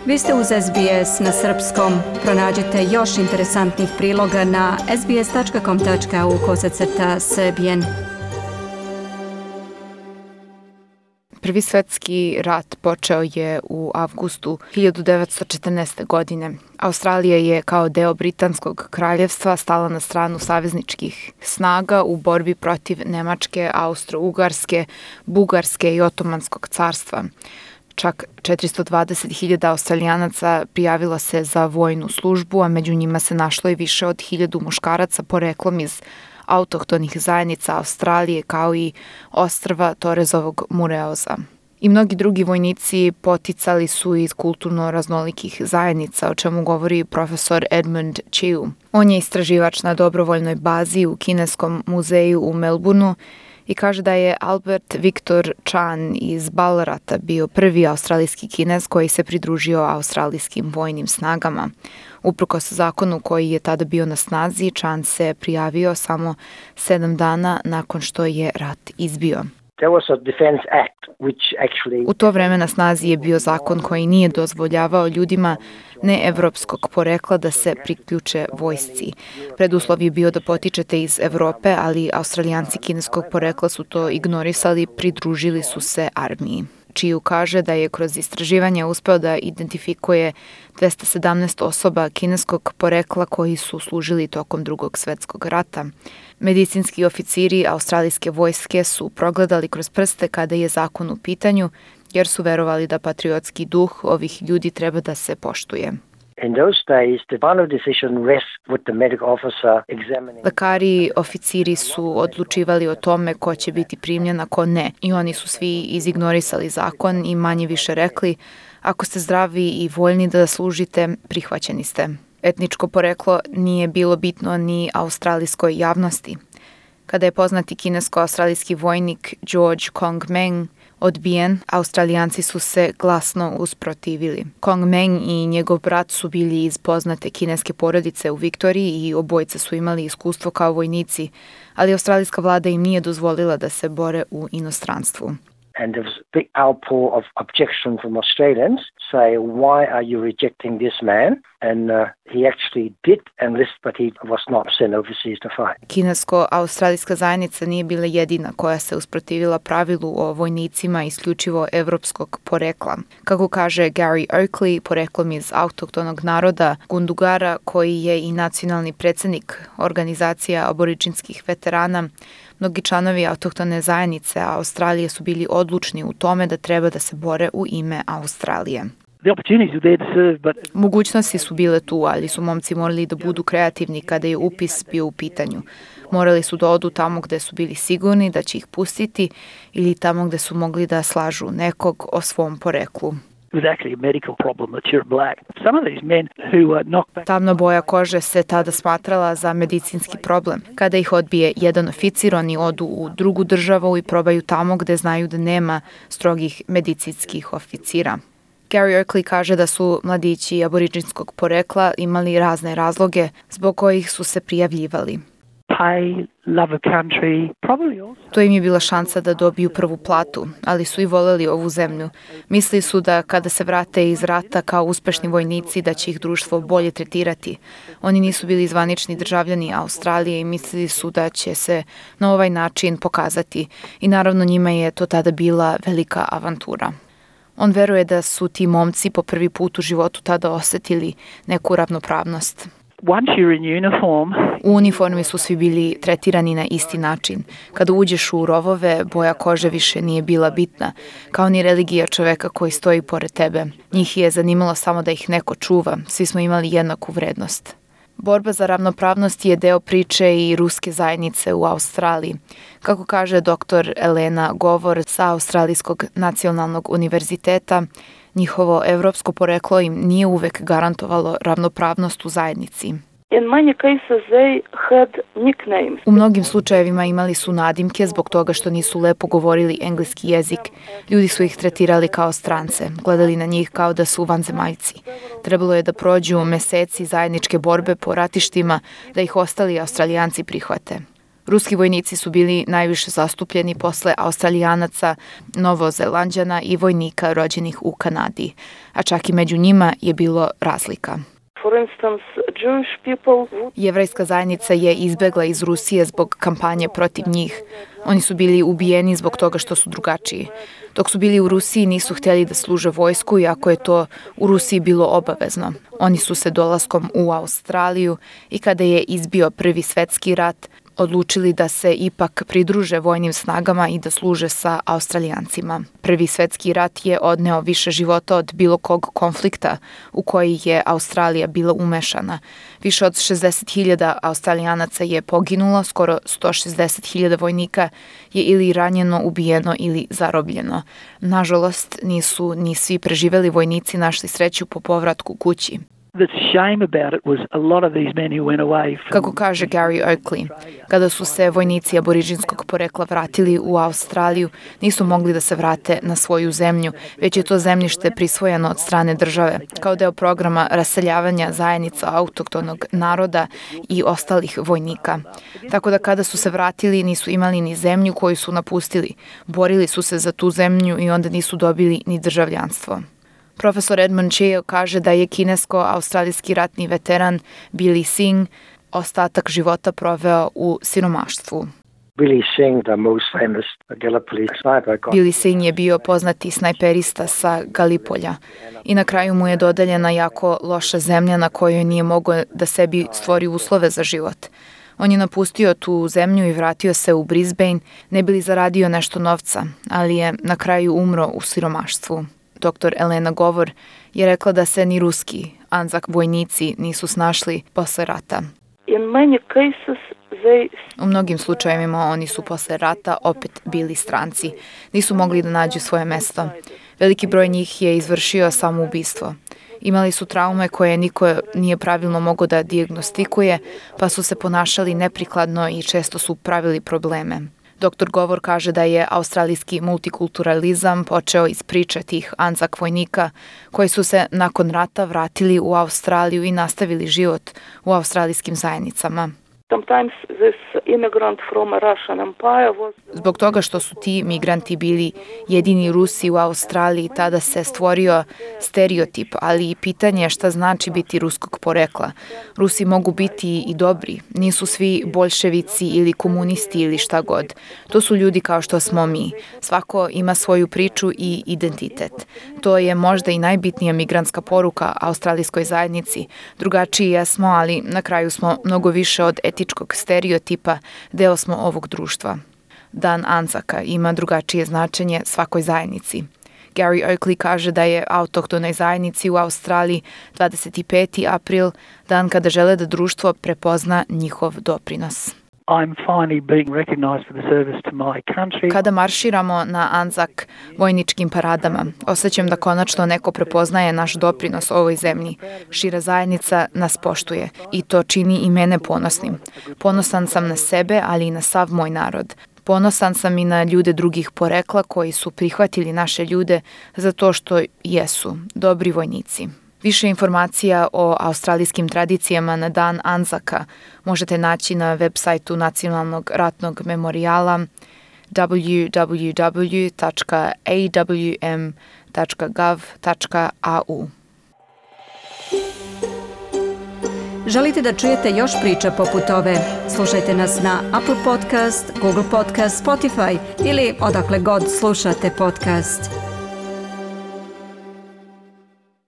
Vi ste uz SBS na srpskom. Pronađite još interesantnih priloga na sbs.com.au/srbijen. Prvi svjetski rat počeo je u avgustu 1914. godine. Australija je kao deo Britanskog kraljevstva stala na stranu savezničkih snaga u borbi protiv Nemačke, Austro-Ugarske, Bugarske i Otomanskog carstva. Čak 420.000 Australijanaca prijavilo se za vojnu službu, a među njima se našlo i više od 1.000 muškaraca poreklom iz autohtonih zajednica Australije kao i ostrva Torezovog Mureoza. I mnogi drugi vojnici poticali su iz kulturno raznolikih zajednica, o čemu govori profesor Edmund Chiu. On je istraživač na dobrovoljnoj bazi u Kineskom muzeju u Melbourneu i kaže da je Albert Victor Chan iz Ballarata bio prvi australijski Kinez koji se pridružio australijskim vojnim snagama. Uprkos zakonu koji je tada bio na snazi, Chan se prijavio samo 7 dana nakon što je rat izbio. U to vreme na snazi je bio zakon koji nije dozvoljavao ljudima neevropskog porekla da se priključe vojsci. Preduslov je bio da potičete iz Evrope, ali Australijanci kineskog porekla su to ignorisali, pridružili su se armiji. Chiu kaže da je kroz istraživanje uspeo da identifikuje 217 osoba kineskog porekla koji su služili tokom Drugog svjetskog rata. Medicinski oficiri australijske vojske su progledali kroz prste kada je zakon u pitanju, jer su verovali da patriotski duh ovih ljudi treba da se poštuje. Lekari i oficiri su odlučivali o tome ko će biti primljen, a ko ne. I oni su svi izignorisali zakon i manje više rekli, ako ste zdravi i voljni da služite, prihvaćeni ste. Etničko poreklo nije bilo bitno ni australijskoj javnosti. Kada je poznati kinesko-australijski vojnik George Kong Meng odbijen, Australijanci su se glasno usprotivili. Kong Meng i njegov brat su bili iz poznate kineske porodice u Viktoriji i obojice su imali iskustvo kao vojnici, ali australijska vlada im nije dozvolila da se bore u inostranstvu. And there was a big outpour of objection from Australians, say, why are you rejecting this man? And he actually did enlist, but he was not sent overseas to fight. Kinesko-australijska zajednica nije bila jedina koja se usprotivila pravilu o vojnicima isključivo evropskog porekla. Kako kaže Gary Oakley, poreklom iz autohtonog naroda Gundungara, koji je i nacionalni predsjednik organizacija aboriđinskih veterana, mnogi članovi autohtone zajednice Australije su bili odlučni u tome da treba da se bore u ime Australije. Mogućnosti su bile tu, ali su momci morali da budu kreativni kada je upis bio u pitanju. Morali su da odu tamo gde su bili sigurni da će ih pustiti ili tamo gde su mogli da slažu nekog o svom poreklu. Tamna boja kože se tada smatrala za medicinski problem. Kada ih odbije jedan oficir, oni odu u drugu državu i probaju tamo gde znaju da nema strogih medicinskih oficira. Gary Oakley kaže da su mladići aboriđinskog porekla imali razne razloge zbog kojih su se prijavljivali. To im je bila šansa da dobiju prvu platu, ali su i voleli ovu zemlju. Mislili su da kada se vrate iz rata kao uspešni vojnici da će ih društvo bolje tretirati. Oni nisu bili zvanični državljani Australije i mislili su da će se na ovaj način pokazati. I naravno njima je to tada bila velika avantura. On veruje da su ti momci po prvi put u životu tada osjetili neku ravnopravnost. U uniformi su svi bili tretirani na isti način. Kada uđeš u rovove, boja kože više nije bila bitna, kao ni religija čoveka koji stoji pored tebe. Njih je zanimalo samo da ih neko čuva, svi smo imali jednaku vrednost. Borba za ravnopravnost je deo priče i ruske zajednice u Australiji. Kako kaže dr. Elena Govor sa Australijskog nacionalnog univerziteta, njihovo evropsko poreklo im nije uvek garantovalo ravnopravnost u zajednici. U mnogim slučajevima imali su nadimke zbog toga što nisu lepo govorili engleski jezik. Ljudi su ih tretirali kao strance, gledali na njih kao da su vanzemaljci. Trebalo je da prođu meseci zajedničke borbe po ratištima da ih ostali Australijanci prihvate. Ruski vojnici su bili najviše zastupljeni posle Australijanaca, Novozelanđana i vojnika rođenih u Kanadi, a čak i među njima je bilo razlika. Jevrejska zajednica je izbegla iz Rusije zbog kampanje protiv njih. Oni su bili ubijeni zbog toga što su drugačiji. Dok su bili u Rusiji nisu htjeli da služe vojsku, iako je to u Rusiji bilo obavezno. Oni su se dolaskom u Australiju i kada je izbio Prvi svetski rat, odlučili da se ipak pridruže vojnim snagama i da služe sa Australijancima. Prvi svetski rat je odneo više života od bilo kog konflikta u koji je Australija bila umešana. Više od 60.000 Australijanaca je poginulo, skoro 160.000 vojnika je ili ranjeno, ubijeno ili zarobljeno. Nažalost, nisu ni svi preživeli vojnici našli sreću po povratku kući. Kako kaže Gary Oakley, kada su se vojnici aboriđinskog porekla vratili u Australiju, nisu mogli da se vrate na svoju zemlju, već je to zemljište prisvojeno od strane države, kao deo programa raseljavanja zajednica autohtonog naroda i ostalih vojnika. Tako da kada su se vratili, nisu imali ni zemlju koju su napustili, borili su se za tu zemlju i onda nisu dobili ni državljanstvo. Profesor Edmund Cheo kaže da je kinesko-australijski ratni veteran Billy Singh ostatak života proveo u siromaštvu. Billy Singh je bio poznati snajperista sa Galipolja i na kraju mu je dodeljena jako loša zemlja na kojoj nije mogao da sebi stvori uslove za život. On je napustio tu zemlju i vratio se u Brisbane, ne bi li zaradio nešto novca, ali je na kraju umro u siromaštvu. Dr. Elena Govor je rekla da se ni ruski Anzak vojnici nisu snašli posle rata. U mnogim slučajevima oni su posle rata opet bili stranci. Nisu mogli da nađu svoje mesto. Veliki broj njih je izvršio samoubistvo. Imali su traume koje niko nije pravilno mogao da dijagnostikuje, pa su se ponašali neprikladno i često su pravili probleme. Dr. Govor kaže da je australijski multikulturalizam počeo iz priče tih Anzak vojnika koji su se nakon rata vratili u Australiju i nastavili život u australijskim zajednicama. Zbog toga što su ti migranti bili jedini Rusi u Australiji, tada se stvorio stereotip, ali i pitanje šta znači biti ruskog porekla. Rusi mogu biti i dobri, nisu svi boljševici ili komunisti ili šta god. To su ljudi kao što smo mi. Svako ima svoju priču i identitet. To je možda i najbitnija migrantska poruka australijskoj zajednici. Drugačiji jesmo, ali na kraju smo mnogo više od etičkog stereotipa, deo smo ovog društva. Dan Anzaka ima drugačije značenje svakoj zajednici. Gary Oakley kaže da je autohtonoj zajednici u Australiji 25. april dan kada žele da društvo prepozna njihov doprinos. Kada marširamo na Anzak vojničkim paradama, osjećam da konačno neko prepoznaje naš doprinos ovoj zemlji. Šira zajednica nas poštuje i to čini i mene ponosnim. Ponosan sam na sebe, ali i na sav moj narod. Ponosan sam i na ljude drugih porekla koji su prihvatili naše ljude za to što jesu dobri vojnici. Više informacija o australijskim tradicijama na dan Anzaka možete naći na web sajtu Nacionalnog ratnog memorijala www.awm.gov.au. Želite da čujete još priča poput ove? Slušajte nas na Apple Podcast, Google Podcast, Spotify ili odakle god slušate podcast.